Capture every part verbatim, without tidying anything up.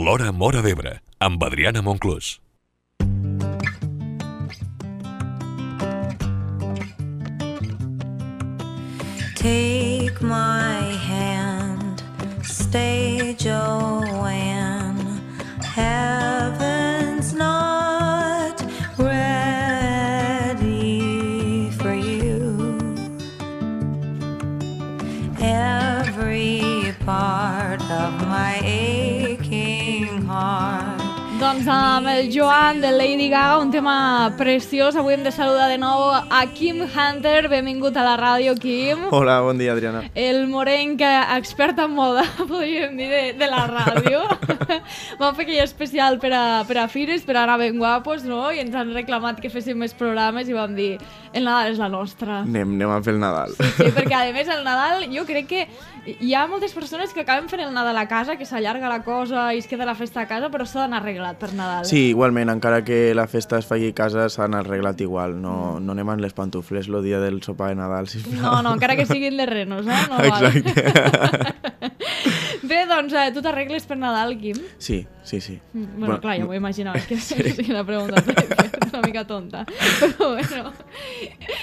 L'Hora Móra d'Ebre, amb Adriana Monclús. Take my hand, stay Joanne, heaven's not ready for you. Every part of my aching heart. Doncs amb el Joan de Lady Gaga, un tema preciós. Avui hem de saludar de nou a Quim Hunter. Benvingut a la ràdio, Quim. Hola, bon dia, Adriana. El morenc expert en moda, podríem dir, de, de la ràdio. Vam fer aquell especial per a, per a Fires, per anar ben guapos, no? I ens han reclamat que féssim més programes i vam dir, el Nadal és la nostra. Anem, anem a fer el Nadal. Sí, sí, perquè a més el Nadal jo crec que hi ha moltes persones que acaben fent el Nadal a casa, que s'allarga la cosa i es queda la festa a casa, però s'ha d'anar arreglat per Nadal. Sí, igualment, encara que la festa es faci a casa, s'han arreglat igual. No, no anem amb les pantufles el dia del sopar de Nadal, sisplau. No, no, encara que siguin de renos, eh? No Exacte. Bé, doncs, eh, tu t'arregles per Nadal, Quim? Sí, sí, sí. Mm, bueno, Bueno, clar, ja m'ho imaginava, és que sí. És una pregunta una mica tonta. Però bueno,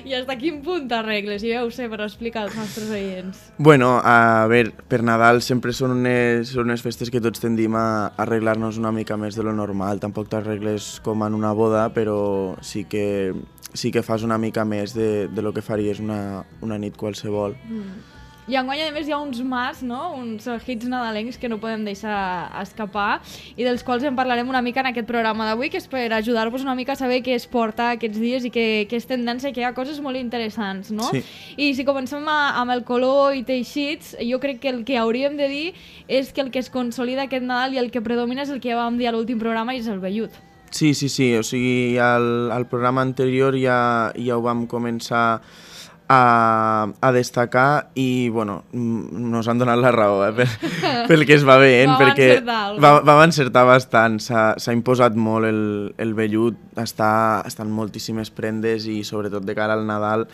i fins a quin punt t'arregles? Jo ja ho sé, però explica als nostres oients. Bueno, a veure, per Nadal sempre són unes, són unes festes que tots tendim a arreglar-nos una mica més de lo normal. Tampoc t'arregles com en una boda, però sí que, sí que fas una mica més de, de lo que faries una, una nit qualsevol. Mm. I enguany, a més, hi ha uns mas, no? Uns hits nadalencs que no podem deixar escapar i dels quals en parlarem una mica en aquest programa d'avui, que és per ajudar-vos una mica a saber què es porta aquests dies i què, què és tendència, que hi ha coses molt interessants, no? Sí. I si comencem a, amb el color i teixits, jo crec que el que hauríem de dir és que el que es consolida aquest Nadal i el que predomina és el que ja vam dir a l'últim programa i és el vellut. Sí, sí, sí, o sigui, al, al programa anterior ja, ja ho vam començar a, a destacar i, bueno, nos han donat la raó, eh, per, pel que es va veient, Vam perquè encertar va, vam encertar bastant, s'ha imposat molt el, el vellut, està, estan moltíssimes prendes i sobretot de cara al Nadal,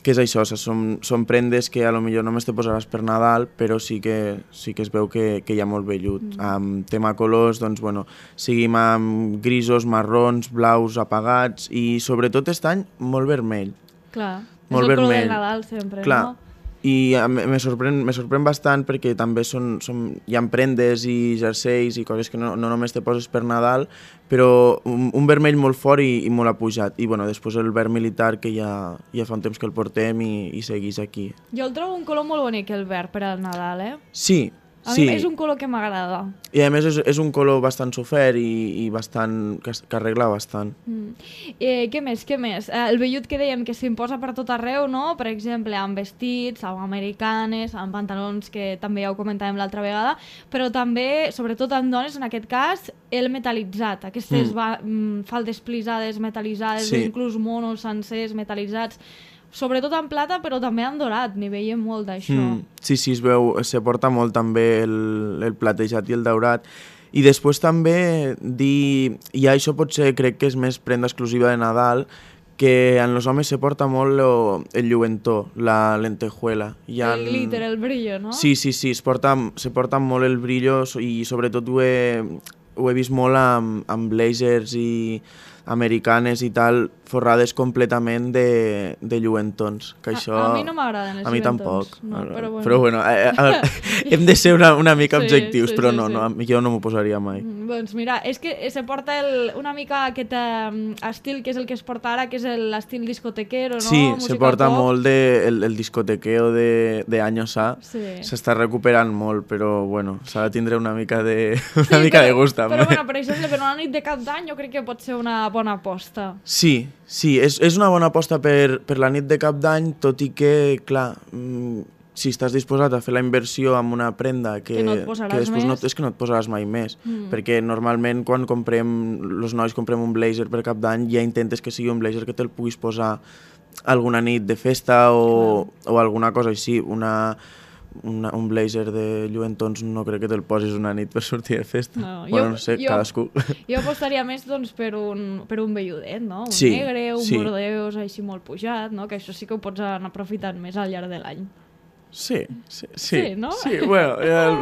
que és això, són, són prendes que a lo millor només te posaràs per Nadal, però sí que, sí que es veu que, que hi ha molt vellut. Mm. Amb tema colors, doncs, bueno, seguim amb grisos, marrons, blaus apagats i sobretot aquest any molt vermell. Clar, Molt és el color vermell. del Nadal sempre, Clar. no? I a- me me sorprèn, me sorprèn bastant perquè també són, són, hi ha prendes i jerseis i coses que no, no només te poses per Nadal, però un, un vermell molt fort i, i molt apujat. I bueno, després el verd militar, que ja, ja fa un temps que el portem i, i segueix aquí. Jo el trobo un color molt bonic, el verd, per al Nadal, eh? Sí, A sí. mi és un color que m'agrada. I a més és, és un color bastant sofert i, i bastant, que, es- que arregla bastant. Mm. Eh, què més, què més? Eh, el vellut que dèiem que s'imposa per tot arreu, no? Per exemple, amb vestits, amb americanes, amb pantalons, que també ja ho comentàvem l'altra vegada, però també, sobretot en dones, en aquest cas, el metal·litzat. Aquestes Mm. va, mm, faldes plisades, metal·litzades, Sí. o inclús monos sencers metal·litzats, sobretot en plata, però també en dorat, n'hi veiem molt d'això. Mm, sí, sí, es veu, se porta molt també el, el platejat i el daurat. I després també dir, i això potser crec que és més prenda exclusiva de Nadal, que en els homes se porta molt lo, el lluentó, la lentejuela. Hi ha... El glitter, el brillo, no? Sí, sí, sí, es porta, se porta molt el brillo so- i sobretot ho he, ho he vist molt amb, amb blazers i americanes i tal, forrades completament de, de lluentons. Que A- això... a mi no m'agraden els A mi lluentons, tampoc. no, però bueno. Però bueno, eh, eh, hem de ser una, una mica Sí, objectius, sí, però sí, no, sí. no, jo no m'ho posaria mai. Mm, Doncs mira, és que se porta el, una mica aquest eh, estil que és el que es porta ara, que és el- l'estil discotequero, no? Sí, Música se porta pop. molt de, el, el discotequeo de, de Años A. Sí. S'està recuperant molt, però bueno, s'ha de tindre una mica de, una Sí, mica però, de gust també. Però bueno, per exemple, per una nit de cap d'any jo crec que pot ser una bona aposta. Sí, sí, és, és una bona aposta per, per la nit de cap d'any, tot i que, clar, mm, si estàs disposat a fer la inversió amb una prenda que, Que no et posaràs que després no, més. és que no et posaràs mai més, Mm. perquè normalment quan comprem, els nois comprem un blazer per cap d'any, ja intentes que sigui un blazer que te'l puguis posar alguna nit de festa o, o alguna cosa així, una... Una, un blazer de lluentons no crec que te'l posis una nit per sortir de festa. No, bueno, jo- no sé, jo- cadascú. Jo apostaria més doncs, per, un, per un velludet, no? Un Sí, negre, un sí. bordeus així molt pujat, no? Que això sí que ho pots anar aprofitant més al llarg de l'any. Sí, sí, sí. Sí, no? Sí, bueno, el,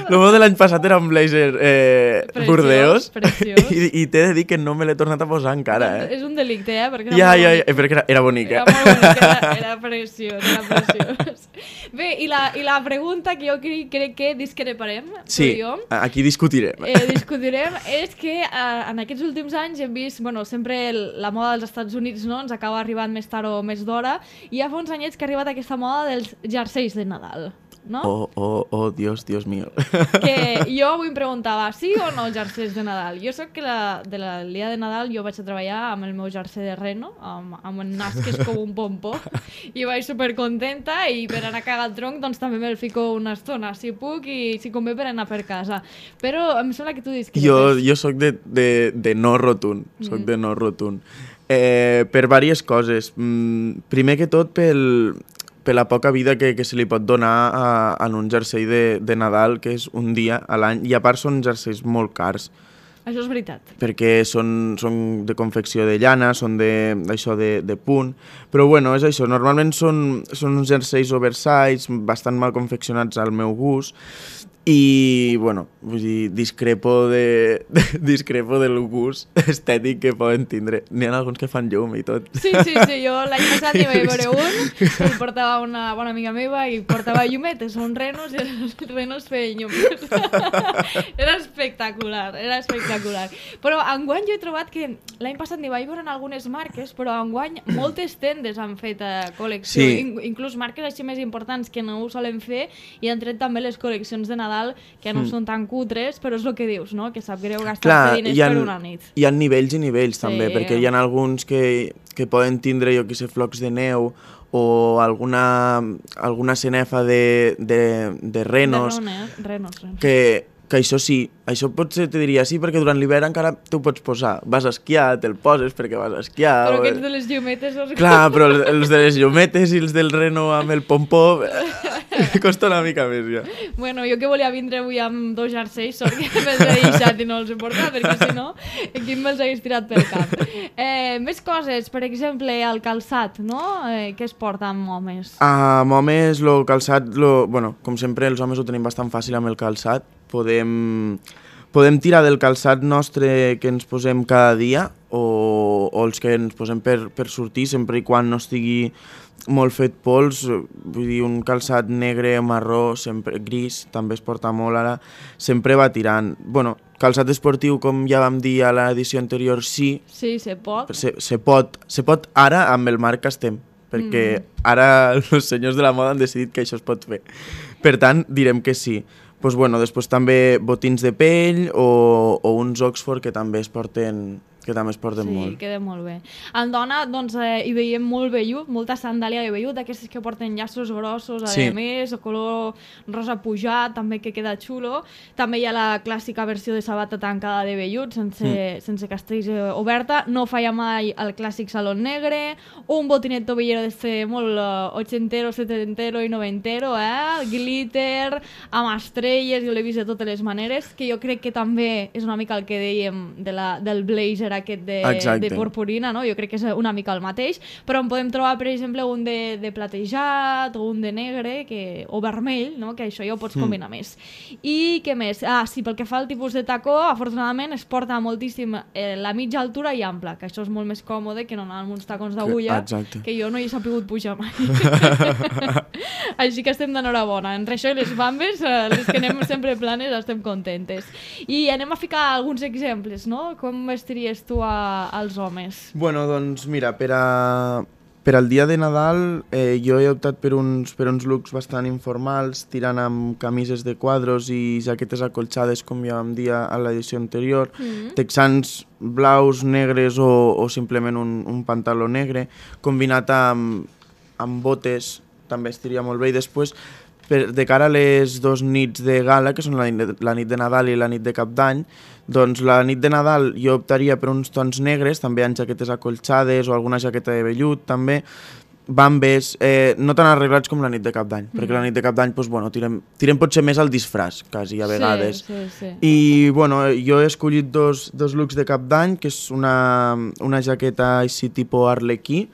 el meu de l'any passat era un blazer eh, Preciós, Burdeos preciós. i, i t'he de dir que no me l'he tornat a posar encara, eh? És un delicte, eh? Perquè era Ja, molt ja, bonic. ja, perquè era, era bonica. Era molt bonic, era, era preciós, era preciós. Bé, i la, i la pregunta que jo crec, crec que discreparem, Sí, tu i jo, aquí discutirem. eh, discutirem, és que eh, en aquests últims anys hem vist, bueno, sempre el, la moda dels Estats Units, no?, ens acaba arribant més tard o més d'hora, i ja fa uns anyets que ha arribat aquesta moda dels jerseis de Nadal, no? Oh, oh, oh, Dios, Dios mío. Que jo avui em preguntava, sí o no jerseis de Nadal? Jo soc que la, de la dia de Nadal jo vaig a treballar amb el meu jersei de reno, amb, amb un nas que és com un pompó, i vaig supercontenta, i per anar a cagar el tronc doncs també me'l fico una estona, si puc, i si convé per anar per casa. Però em sembla que tu discrepes. Jo, jo sóc de, de, de no rotund, sóc mm. de no rotund. Eh, per diverses coses. Mm, primer que tot pel, per la poca vida que, que se li pot donar a, a un jersei de, de Nadal, que és un dia a l'any, i a part són jerseis molt cars, Això és veritat. perquè són, són de confecció de llana, són de, això de, de punt, però bueno, és això, normalment són, són uns jerseis oversize, bastant mal confeccionats al meu gust, i, bueno, vull dir, discrepo, de, de, discrepo del gust estètic que poden tindre. N'hi ha alguns que fan llum i tot. Sí, sí, sí, jo l'any passat n'hi vaig veure un, el portava una bona amiga meva i portava llumetes, uns renos, i els renos feien llum. Era espectacular, era espectacular. Però enguany jo he trobat que l'any passat n'hi vaig veure en algunes marques, però enguany moltes tendes han fet eh, col·lecció, Sí. In inclús marques així més importants que no ho solen fer, i han tret també les col·leccions de Nadal que no mm. són tan cutres, però és el que dius, no? Que sap greu gastar-se diners hi ha, per una nit. hi ha nivells i nivells Sí. també, perquè hi ha alguns que, que poden tindre, jo que sé, flocs de neu o alguna, alguna cenefa de, de, de renos, De renos, renos, renos. que, que això sí, això potser te diria sí, perquè durant l'hivern encara t'ho pots posar. Vas a esquiar, te'l poses perquè vas a esquiar. Però o... aquests de les llumetes... Els... Clar, però els, els de les llumetes i els del reno amb el pompó costa una mica més, ja. Bueno, jo que volia vindre avui amb dos jerseis, sort que me'ls he deixat i no els he portat, perquè si no, aquí me'ls hagués tirat pel cap. Eh, més coses, per exemple, el calçat, no? Eh, què es porta amb homes? Amb homes, el calçat, lo, bueno, com sempre els homes ho tenim bastant fàcil amb el calçat. Podem, podem tirar del calçat nostre que ens posem cada dia o, o els que ens posem per, per sortir, sempre i quan no estigui molt fet pols. Vull dir, un calçat negre, marró, sempre gris, també es porta molt ara, sempre va tirant. Bueno, calçat esportiu, com ja vam dir a l'edició anterior, sí, Sí, se pot. se, se, pot, se pot ara amb el marc que estem, perquè mm. ara els senyors de la moda han decidit que això es pot fer. Per tant, direm que sí. Pues bueno, després també botins de pell o, o uns Oxford que també es porten, que també es porten Sí, molt. queda molt bé. En dona, doncs, eh, hi veiem molt vellut, molta sandàlia de vellut, d'aquestes que porten llaços grossos, a Sí. més, o color rosa pujat, també que queda xulo. També hi ha la clàssica versió de sabata tancada de vellut, sense, mm. sense castells eh, oberta. No falla mai el clàssic salon negre, un botinet tobillero d'este molt eh, ochentero, setentero i noventero, eh? Glitter, amb estrelles, jo l'he vist de totes les maneres, que jo crec que també és una mica el que dèiem de la, del blazer aquest de, Exacte. de purpurina, no? Jo crec que és una mica el mateix, però en podem trobar, per exemple, un de, de platejat o un de negre que, o vermell, no? Que això ja ho pots combinar mm. més. I què més? Ah, sí, pel que fa al tipus de tacó, afortunadament es porta moltíssim eh, la mitja altura i ampla, que això és molt més còmode que no anar amb uns tacons d'agulla, Exacte. que jo no hi he sapigut pujar mai. Així que estem d'enhorabona. Entre això i les bambes, eh, les que anem sempre planes, estem contentes. I anem a ficar alguns exemples, no? Com vestiries tu a, als homes? Bueno, doncs mira, per, a, per al dia de Nadal eh, jo he optat per uns, per uns looks bastant informals, tirant amb camises de quadros i jaquetes acolxades, com ja vam dir a l'edició anterior, mm-hmm. texans blaus, negres o, o simplement un, un pantaló negre, combinat amb, amb botes, també estiria molt bé. I després, per, de cara a les dos nits de gala, que són la nit de, la nit de Nadal i la nit de Cap d'Any, doncs la nit de Nadal jo optaria per uns tons negres, també amb jaquetes acolxades o alguna jaqueta de vellut, també, bambes, eh, no tan arreglats com la nit de Cap d'Any, mm. perquè la nit de Cap d'Any, doncs, bueno, tirem, tirem potser més al disfraç, quasi, a vegades. Sí, sí, sí. I, bueno, jo he escollit dos, dos looks de Cap d'Any, que és una, una jaqueta així tipus arlequí,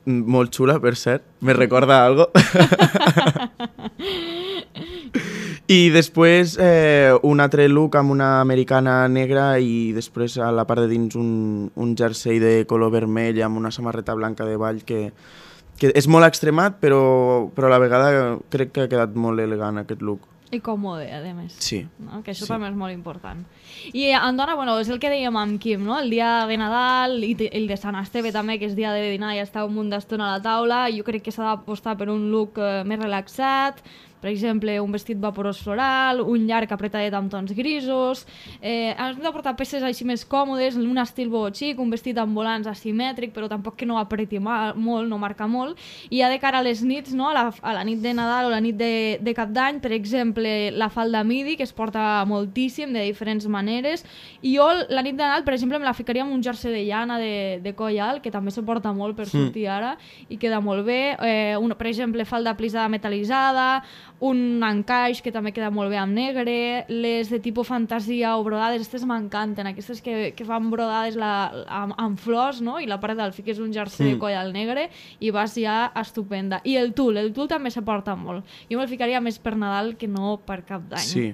molt xula, per cert. Me recorda algo. I després eh, un altre look amb una americana negra i després a la part de dins un, un jersei de color vermell amb una samarreta blanca de ball que, que és molt extremat, però, però a la vegada crec que ha quedat molt elegant aquest look. I còmode, a més. Sí. No? Que això sí. també és molt important. I en dona, bueno, és el que dèiem amb Quim, no? El dia de Nadal i el de Sant Esteve també, que és dia de dinar i estar un munt d'estona a la taula. Jo crec que s'ha d'apostar per un look eh, més relaxat, per exemple, un vestit vaporós floral, un llarg apretadet amb tons grisos. Eh, hem de portar peces així més còmodes, un estil boho xic, un vestit amb volants asimètric, però tampoc que no apreti mal, molt, no marca molt. I ja de cara a les nits, no? a, la, a la nit de Nadal o la nit de, de Cap d'Any, per exemple, la falda midi, que es porta moltíssim, de diferents maneres. I jo la nit de Nadal, per exemple, me la ficaria amb un jersei de llana de, de coll alt, que també se porta molt per sortir ara, i queda molt bé. Eh, un, per exemple, falda plisada metal·litzada, un encaix que també queda molt bé amb negre, les de tipus fantasia o brodades, aquestes m'encanten, aquestes que, que fan brodades la, amb, amb flors, no? I la part del fiques un jersei mm. de coll al negre i vas ja estupenda. I el tul, el tul també se porta molt. Jo me'l ficaria més per Nadal que no per Cap d'Any. Sí.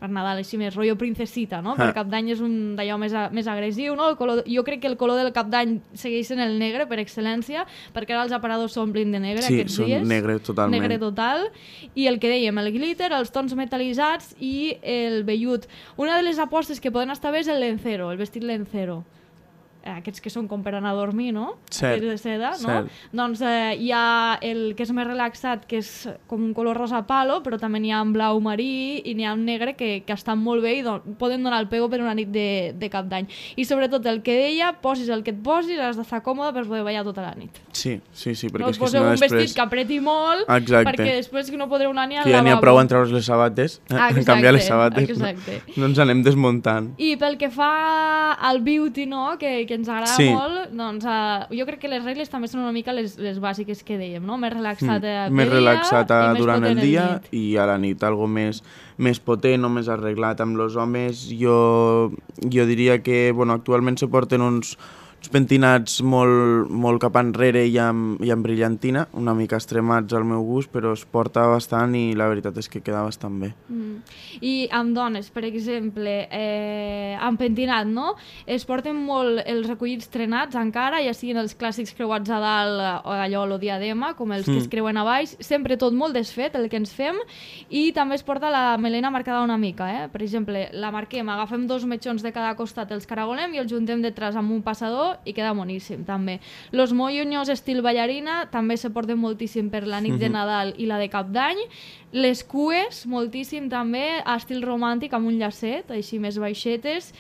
Per Nadal, així més rotllo princesita, no? Ah. Per Cap d'Any és un d'allò més, a, més agressiu, no? El color, jo crec que el color del Cap d'Any segueix sent el negre per excel·lència, perquè ara els aparadors s'omplin de negre sí, aquests dies. Sí, són negre totalment. Negre total. I el que dèiem, el glitter, els tons metal·litzats i el vellut. Una de les apostes que poden estar bé és el lencero, el vestit lencero. Aquests que són com per anar a dormir, no? Cert, aquests de seda, no? cert. Doncs eh, hi ha el que és més relaxat, que és com un color rosa palo, però també n'hi ha en blau marí i n'hi ha en negre que, que estan molt bé i don poden donar el pego per una nit de, de Cap d'Any. I sobretot el que deia, posis el que et posis, has d'estar còmode per poder ballar tota la nit. Sí, sí, sí, perquè no és que poseu si no un després... vestit que apreti molt, Exacte. perquè després no podreu anar ni al que ja lavabo. n'hi ha prou en treure's les sabates, Ah, en canviar les sabates, exacte. no, no ens anem desmuntant. I pel que fa al beauty, no?, que, que ens agrada Sí. molt, doncs uh, jo crec que les regles també són una mica les, les bàsiques que dèiem, no? Més relaxat mm. més dia relaxat a, i més durant el potent dia nit. i a la nit, algo més, més potent o més arreglat. Amb els homes jo, jo diria que bueno, actualment se porten uns, uns pentinats molt, molt cap enrere i amb, i amb brillantina, una mica extremats al meu gust, però es porta bastant i la veritat és que queda bastant bé. Mm. I amb dones, per exemple, eh, amb pentinat, no? Es porten molt els recollits trenats encara, ja siguin els clàssics creuats a dalt o allò, lo diadema, com els mm. que es creuen a baix, sempre tot molt desfet, el que ens fem, i també es porta la melena marcada una mica, eh? Per exemple, la marquem, agafem dos metxons de cada costat, els caragolem i els juntem detrás amb un passador i queda boníssim, també. Los moños estil ballarina també se porten moltíssim per la nit de Nadal i la de Cap d'Any. Les cues, moltíssim també, estil romàntic amb un llacet, així més baixetes,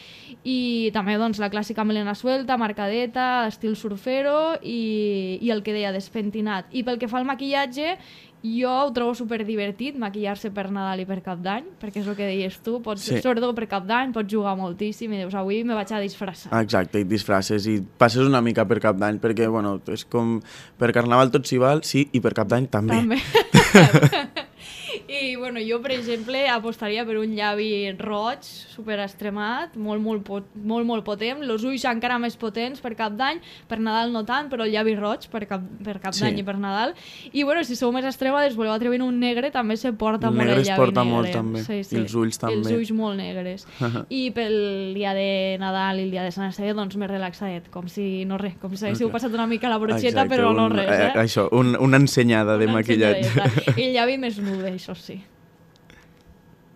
i també doncs, la clàssica melena suelta, marcadeta, estil surfero i, i el que deia despentinat. I pel que fa al maquillatge, jo ho trobo superdivertit, maquillar-se per Nadal i per Cap d'Any, perquè és el que deies tu, pots, Sí. sobretot per Cap d'Any, pots jugar moltíssim i dius, avui me vaig a disfressar. Exacte, i disfresses i passes una mica per Cap d'Any, perquè bueno, és com per Carnaval tot s'hi val, sí, i per Cap d'Any també. També. I bueno, jo, per exemple, apostaria per un llavi roig, super extremat, molt, molt, pot, molt, molt potent, els ulls encara més potents per Cap d'Any, per Nadal no tant, però el llavi roig per Cap, per cap d'Any Sí. i per Nadal. I bueno, si sou més extremades, voleu atreure un negre, també se porta El molt negre el es llavi porta negre. molt, també. Sí, sí. I els ulls també. I els ulls molt negres. I pel dia de Nadal i el dia de Sant Esteve, doncs més relaxadet, com si no res, com si haguéssiu Okay. passat una mica la brocheta, Exacte, però no un, res, eh? eh? Això, un, una ensenyada de Una maquillatge. ensenyadeta. I el llavi més nude, això sí.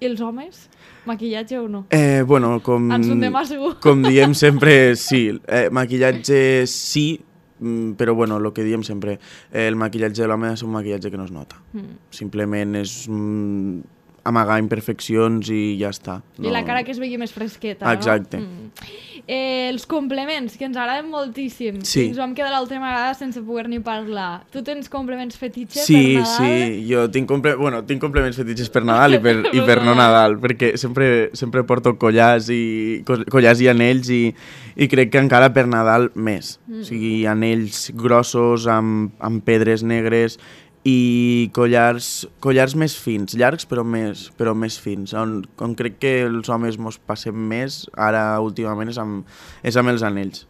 I els homes? Maquillatge o no? Eh, bueno, com, En son demà segur. com diem sempre, sí. Eh, maquillatge sí, mm, però bueno, el que diem sempre, eh, el maquillatge de l'home és un maquillatge que no es nota. Mm. Simplement és mm, amagar imperfeccions i ja està. I la cara que es vegi més fresqueta, Exacte. no? Mm. Eh, els complements, que ens agraden moltíssim. Sí. Ens vam quedar l'última vegada sense poder-n'hi parlar. Tu tens complements fetitxe Sí, per Nadal? sí, jo tinc, comple bueno, tinc complements fetitxes per Nadal i per, i per no Nadal, perquè sempre, sempre porto collars i, co- collars i anells i, i crec que encara per Nadal més. Mm. O sigui, anells grossos amb, amb pedres negres i collars, collars més fins, llargs però més, però més fins. On, on crec que els homes mos passem més, ara últimament, és amb, és amb els anells.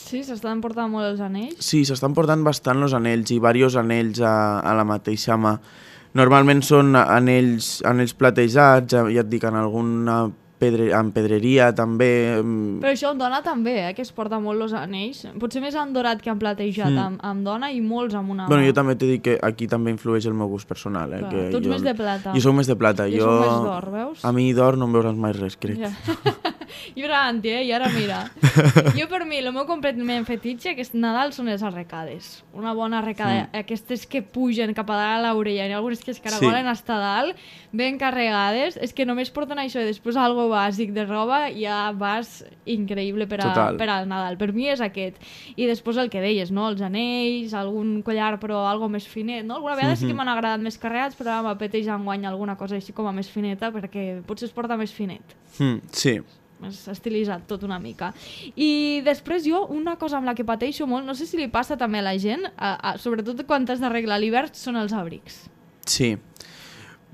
Sí, s'estan portant molt els anells. Sí, s'estan portant bastant els anells i diversos anells a, a la mateixa mà. Normalment són anells, anells platejats, ja, ja et dic, en alguna pedre, en pedreria també. Però això en dona també, eh, que es porta molt els anells. Potser més en dorat que en platejat, mm. amb, amb dona i molts amb una Bueno, mà. jo també t'he dit que aquí també influeix el meu gust personal. Eh, Clar, que tu ets jo, més de plata. Jo soc més de plata. Jo jo soc més d'or, veus? A mi d'or no em veuràs mai res, crec. Ja. Jo era anti, eh? I ara mira. Jo per mi, el meu completament fetitxe aquest Nadal són les arrecades. Una bona arrecada. Mm. Aquestes que pugen cap a dalt a l'orella i algunes que es caragolen sí. hasta dalt, ben carregades. És que només porten això i després algo bàsic de roba ja vas increïble per, a, per al Nadal. Per mi és aquest. I després el que deies, no? Els anells, algun collar però algo més finet, no? Alguna vegada mm -hmm. sí que m'han agradat més carregats, però ara m'apeteix enguany alguna cosa així com a més fineta perquè potser es porta més finet. Mm, sí. S'ha estilitzat tot una mica. I després jo, una cosa amb la que pateixo molt, no sé si li passa també a la gent, a, a, sobretot quan t'has d'arreglar l'hivern, són els abrics. Sí.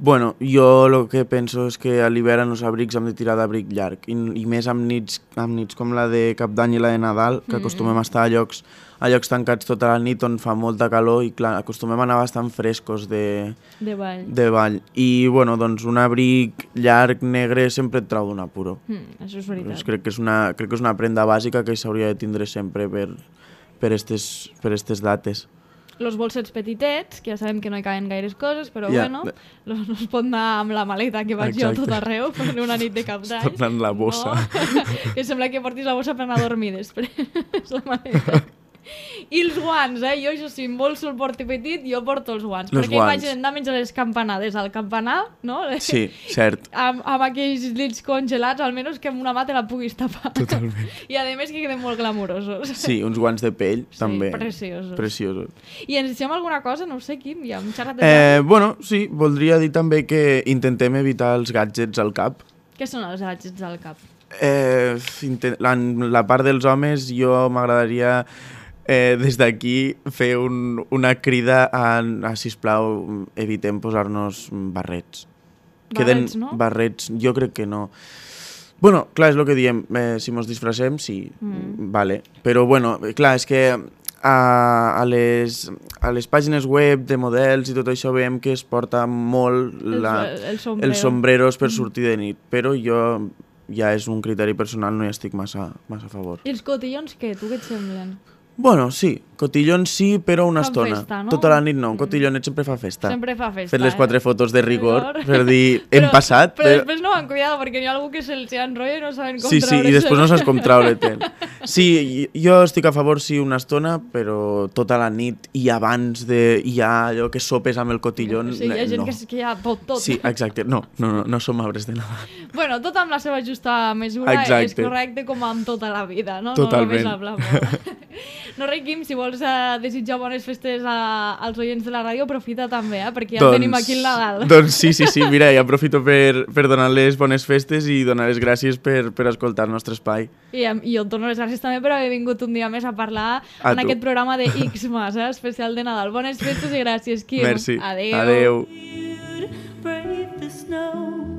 Bueno, jo el que penso és que a l'hivern els abrics hem de tirar d'abric llarg i, i més amb nits, amb nits com la de Cap d'Any i la de Nadal, que acostumem a estar a llocs, a llocs tancats tota la nit on fa molta calor i clar, acostumem a anar bastant frescos de, de, ball. de ball. I bueno, doncs un abric llarg negre sempre et trau d'un apuro. Mm, això és veritat. Doncs crec que és una, crec que és una prenda bàsica que s'hauria de tindre sempre per, per, estes, per estes dates. Los bolsets petitets, que ja sabem que no hi caben gaires coses, però yeah. bueno, no es pot anar amb la maleta que vaig Exacte. jo tot arreu per una nit de Cap d'Any. Es pot anar amb la bossa. No? Que sembla que portis la bossa per anar a dormir després, la maleta. I els guants, eh? Jo, això sí, en bolso el porti petit, jo porto els guants. Els perquè guants. imagina't anar a menjar les campanades al campanar, no? Sí, cert. amb, amb aquells llits congelats, almenys que amb una mà te la puguis tapar. Totalment. I a més que queden molt glamurosos. Sí, uns guants de pell, sí, també. preciosos. Preciosos. I ens deixem alguna cosa? No ho sé, Quim, ja hem xerrat de eh, Bueno, sí, voldria dir també que intentem evitar els gadgets al cap. Què són els gadgets al cap? Eh, la, la part dels homes, jo m'agradaria eh, des d'aquí fer un, una crida a, a, sisplau, evitem posar-nos barrets. Barrets, Queden no? Barrets, jo crec que no. Bueno, clar, és el que diem, eh, si mos disfressem, sí, mm. vale. Però, bueno, clar, és que a, a, les, a les pàgines web de models i tot això veiem que es porta molt la, el, el sombrero. els sombreros per sortir de nit, però jo ja és un criteri personal, no hi estic massa, massa a favor. I els cotillons què? Tu què et semblen? Bueno, sí, cotillons sí, però una Fan estona. festa, no? Tota la nit no, un cotillonet sempre fa festa. Sempre fa festa, Fer les quatre eh? fotos de rigor, rigor. per dir, hem però, passat. Però després no van cuidado, perquè n'hi ha algú que se'ls enrotlla i no saben com sí, sí, i després no saps com treure-te'n. Sí, jo estic a favor, sí, una estona, però tota la nit i abans de... hi ha allò que sopes amb el cotillon, sí, hi ha gent no. que, que ja pot tot. Sí, exacte, no, no, no, no som arbres de Nadal. Bueno, tot amb la seva justa mesura exacte. És correcte com amb tota la vida, no? Totalment. No només hablar. No, res, Quim, si vols uh, desitjar bones festes a, als oients de la ràdio, aprofita també, eh? Perquè ja doncs, tenim aquí el Nadal. Doncs sí, sí, sí, mira, i aprofito per, per donar-les bones festes i donar les gràcies per, per escoltar el nostre espai. I, I jo et dono les gràcies també per haver vingut un dia més a parlar a en tu. Aquest programa de Xmas, eh? Especial de Nadal. Bones festes i gràcies, Quim. Merci. Adéu. Adéu. Brave the snow.